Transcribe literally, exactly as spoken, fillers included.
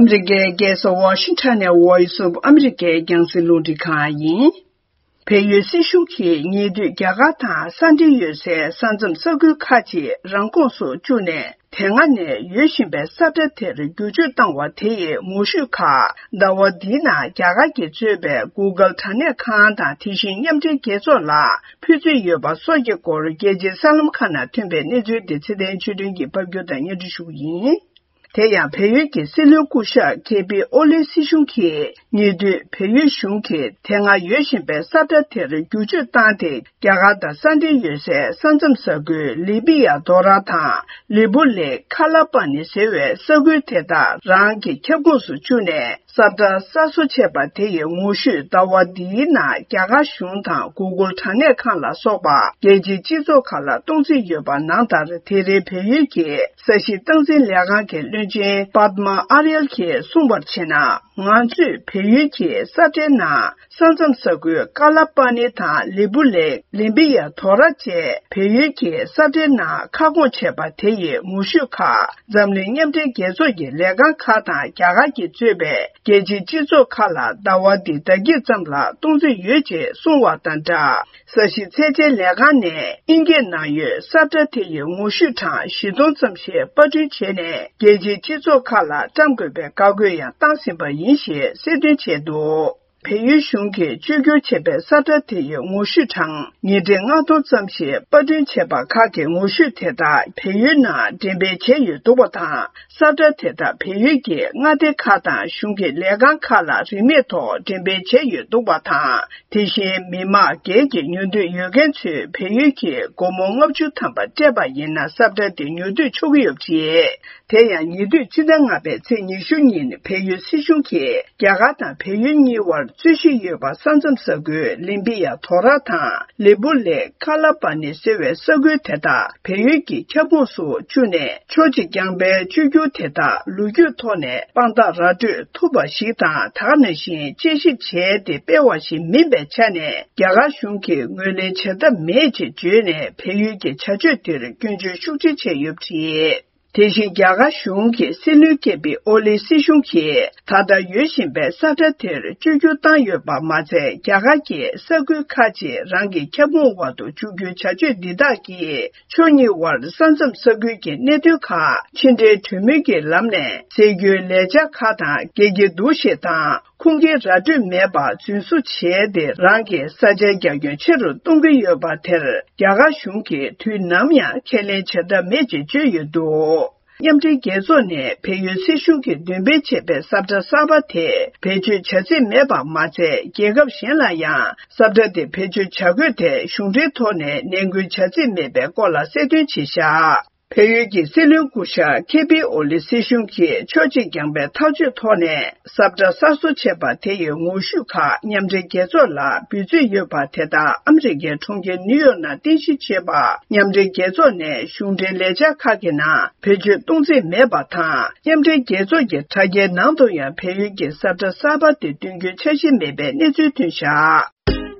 ཨ་མི་རི་ཀའི་རྒྱལ་ས་ཝ་ཤིང་ཊོན་ནས་Voice of America་རྒྱང་སྲིང་རླུང་འཕྲིན་ཁང་ཡིན། བལ་ཡུལ་སྲིད་གཞུང་གིས་ཉེ་དུས་རྒྱ་གར་དང་ས་འབྲེལ་ཡོད་སའི་ས་མཚམས་ས་ཁུལ་ཁག་ཅིག་རང་ཁོངས་སུ་བཅུག་ནས། དེ་སྔ་ནས་ཡོད་བཞིན་པའི་ས་ཁྲ་དེར་བསྒྱུར་བཅོས་བཏང་བ་དེ་ཡི་ངོ་བཤུས་ཁག་ཟླ་བ་འདིའི་ནང་རྒྱ་གར་གྱིས་གཙོས་པའི་Google་དྲ་གནས་ཁང་དང་དེ་བཞིན་མཉམ་འབྲེལ་རྒྱལ་ཚོགས་ལ་ཕུལ་རྩིས་ཡོད་པ་སོགས་ཀྱི་སྐོར་རྒྱལ་སྤྱིའི་གསར་ལམ་ཁག་ནང་ཐོན་པའི་གནས་ཚུལ་འདི་ཚེ་བརྟན་ཆོས་སྒྲོན་གྱིས་ཕབ་སྒྱུར་དང་སྙན་སྒྲོན་ཞུ་གི་ཡིན། དེ་ཡང་བལ་ཡུལ་གྱི་སྲིད་བློན་སྐུ་ཞབས་ཁེ་པི་ཨོ་ལི་སྲིད་གཞུང་གིས་ཉེ་དུས་བལ་ཡུལ་གཞུང་གིས་དེ་སྔ་ཡོད་བཞིན་པའི་ས་ཁྲ་དེར་བསྒྱུར་བཅོས་བཏང་སྟེ། རྒྱ་གར་དང་ས་འབྲེལ་ཡོད་སའི་ས་མཚམས་ས་ཁུལ་ལི་པི་ཡ་དོ་ར་དང་ལི་པུ་ལེ་ཁ་ལ་པ་ནི་ཟེར་བའི་ས་ཁུལ་དེ་དག་རང་གི་ཁྱབ་ཁོངས་སུ་བཅུག་ནས། ས་ཁྲ་གསར་བཟོ་བྱས་པ་དེ་ཡི་ངོ་བཤུས་ཟླ་བ་འདིའི་ནང་རྒྱ་གར་གཞུང་དང་Google་དྲ་གནས་ཁང་ལ་སོགས་པ་རྒྱལ་སྤྱིའི་སྤྱི་ཚོགས་ཁག་ལ་གཏོང་རྩིས་ཡོད་པ་ནང་ལྟར། དེ་རིང་བལ་ཡུལ་གྱི་ས་གཞི་སྟངས་འཛིན་ལས་ཁང་གི་བློན་ཆེན་པདྨ་ཨ་རེལ་གྱིས་གསུངས་པར་བྱས་ན། ང་ཚོས་བལ་ཡུལ་གྱི་ས་ཁྲའི་ནང་ས་མཚམས་ས་ཁུལ་ཀ་ལ་པ་ནི་དང་ལི་པུ་ལེ་ལིམ་པི་ཡ་དོ་ར་བཅས་བལ་ཡུལ་གྱི་ས་ཁྲའི་ནང་ཁ་སྐོང་བྱས་པ་དེ་ཡི་ངོ་བཤུས་ཁག་འཛམ་གླིང་མཉམ་འབྲེལ་རྒྱལ་ཚོགས་ཀྱི་ལས་ཁང་ཁག་དང་རྒྱ་གར་གྱིས་གཙོས་པའི་རྒྱལ་སྤྱིའི་སྤྱི་ཚོགས་ཁག་ལ་ཟླ་བ་འདིའི་ཟླ་དཀྱིལ་ཙམ་ལ་གཏོང་རྩིས་ཡོད་ཅེས་གསུངས་བ་དང་སྦྲགས། ས་གཞི་ཚད་འཇལ་ལས་ཁང་ནས་དབྱིན་སྐད་ནང་ཡོད་ས་ཁྲ་དེ་ཡི་ངོ་བཤུས་གྲངས་བཞི་སྟོང་ཙམ་ཞིག་པར་སྐྲུན་བྱས་ནས། རྒྱལ་སྤྱིའི་སྤྱི་ཚོགས་ཁག་ལ་བཀྲམ་དགོས་པའི་བཀའ་བཀོད་ཡང་བཏང་ཟིན་པ་ཡིན་ཞེས་གསལ་སྟོན་བྱས་འདུག་བལ་ཡུལ་གཞུང་གིས་བཅོས་བསྒྱུར་བྱས་པའི་ས་ཁྲ་དེ་ཡི་ངོ་བཤུས་གྲངས་ཉིས་ཁྲི་ལྔ་སྟོང་ཙམ་ཞིག་པར་སྐྲུན་བྱས་པ་ཁག་གི་ངོ་བཤུས་དེ་དག་བལ་ཡུལ་ནང་འགྲེམས་སྤེལ་བྱས་ཡོད་འདུག་པ་དང་། ས་ཁྲ་དེ་དག་བལ་ཡུལ་གྱི་མངའ་སྡེ་ཁག་དང་གཞུང་གི་ལས་ཁང་ཁག་ལ་རིན་མེད་ཐོག་འགྲེམས་སྤེལ་བྱས་ཡོད་འདུག་པ་དང་། དེ་བཞིན་མི་མང་སྒེར་གྱི་ཉོ་འདོད་ཡོད་མཁན་ཚོས་བལ་ཡུལ་གྱི་སྒོར་མོ་ལྔ་བཅུ་ཐམ་པ་སྤྲད་པ་ཡིན་ན་ས་ཁྲ་དེ་ཉོ་སྡུད་ཆོག་གི་ཡོད་པ་རེད། དེ་ཡང་ཉེ་དུས་ཕྱི་ཟླ་ལྔ་པའི་ཚེས་ཉི་ཤུ་ཉིན་བལ་ཡུལ་སྲིད་གཞུང་གིས་རྒྱ་གར་དང་བལ་ཡུལ་གཉིས་བར་རྩོད་གཞི་ཡོད་པ་ས་མཚམས་ས་ཁུལ་ལིམ་པི་ཡ་དོ་ར་དང་ལི་པུ་ལེ་ཁ་ལ་པ་ནི་ཟེར་བའི་ས་ཁུལ་དེ་དག་བལ་ཡུལ་གྱི་ཁྱབ་ཁོངས་སུ་བཅུག་ནས། ཕྱོགས་གཅིག་རྐྱང་པའི་བཅོས་བསྒྱུར་དེ་དག་ལོ་རྒྱུས་ཐོག་ནས་དཔང་རྟགས་ར་སྤྲོད་ཐུབ་པ་ཞིག་དང་། ད་ག་ནང་བཞིན་དཔྱད་ཞིབ་བྱས་ཏེ་སྤེལ་བ་ཞིག་མིན་པའི་ཆ་ནས། རྒྱ་གར་གཞུང་གིས་ངོས་ལེན་བྱ་ཐབས་མེད་ཅེས་བརྗོད་ནས། བལ་ཡུལ་གྱི་བྱ་སྤྱོད་དེར་སྐྱོན་བརྗོད་ཤུགས་ཆེ་བྱས་ཡོད་པ་རེད། དེ་བཞིན་རྒྱ་གར་གཞུང་གི་སྲིད་བློན་ཀེ་པི་ཨོ་ལི་སྲིད་གཞུང་གིས་ད་ལྟ་ཡོད་བཞིན་པའི་ས་ཁྲ་དེར་བཅོས་བསྒྱུར་བཏང་ཡོད་པ་མ་ཚད། རྒྱ་གར་གྱིས་ས་ཁུལ་ཁག་ཅིག་རང་གི་ཁྱབ་ཁོངས་འོག་ཏུ་བཅུག་རྒྱུའི་བྱ་སྤྱོད་འདི་དག་གིས་ཕྱོགས་གཉིས་དབར་ས་མཚམས་ས་ཁུལ་གྱི་གནད་དོན་ཁག་ཕྱི་འབྲེལ་གྲོས་མོལ་གྱི་ལམ་ནས་སེལ་རྒྱུའི་ལས་འཆར་ཁག་དང་། འགལ་གྱི་འདུག་ཞེས་དང་། ཁུངས་སྐྱེལ་ར་སྤྲོད་མེད་པར་རྫུན་བཟོ་བྱས་ཏེ། རང་གི་ས་ཆའི་རྒྱ་ཁྱོན་ཆེ་རུ་གཏོང་གི་ཡོད་པ་དེར། རྒྱ་གར་གཞུང་གིས་དུས་ནམ་ཡང་ཁས་ལེན་བྱ་ཐབས་མེད་ཅེས་བརྗོད་ཡོད་འདུག་མཉམ་འབྲེལ་རྒྱལ་ཚོགས་ནས་བལ་ཡུལ་སྲིད་གཞུང་གིས་འདོན་སྤེལ་བྱས་པའི་ས་ཁྲ་གསར་པ་དེ་བེད་སྤྱོད་བྱ་རྩིས་མེད་པ་མ་ཚད། རྒྱལ་ཁབ་གཞན་ལ་ཡང་ས་ཁྲ་དེ་བེད་སྤྱོད་བྱ་དགོས་ཐད་གཞུང་འབྲེལ་ཐོག་ནས་ནན་སྐུལ་བྱ་རྩིས་མེད་པའི་སྐོར་ལ་གསལ་སྟོན་བྱས་བཞག་བལ་ཡུལ་གྱི་སྲིད་བློན་སྐུ་ཞབས་ཁེ་པི་ཨོ་ལི་སྲིད་གཞུང་གིས་ཕྱོགས་གཅིག་རྐྱང་པའི་ཐག་གཅོད་ཐོག་ནས། ས་ཁྲ་གསར་བཟོ་བྱས་པ་དེ་ཡི་ངོ་བཤུས་ཁག་མཉམ་འབྲེལ་རྒྱལ་ཚོགས་ལ་འབུལ་རྩིས་ཡོད་པ་དེ་དག་ཨ་མི་རི་ཀའི་གྲོང་ཁྱེར་ནིའུ་ཡོག་ནང་རྟེན་གཞི་བྱས་པ། མཉམ་འབྲེལ་རྒྱལ་ཚོགས་ནས་གཞུང་འབྲེལ་ལས་འཆར་ཁག་གི་ནང་བེད་སྤྱོད་གཏོང་རྩིས་མེད་པ་དང་། མཉམ་འབྲེལ་རྒྱལ་ཚོགས་ཀྱི་དྲ་རྒྱའི་ནང་དུ་ཡང་བལ་ཡུལ་གྱི་ས་ཁྲ་གསར་པ་དེ་འདོན་རྒྱུའི་འཆར་གཞི་མེད་པའི་གནས་ཚུལ་ཐོན་བཞག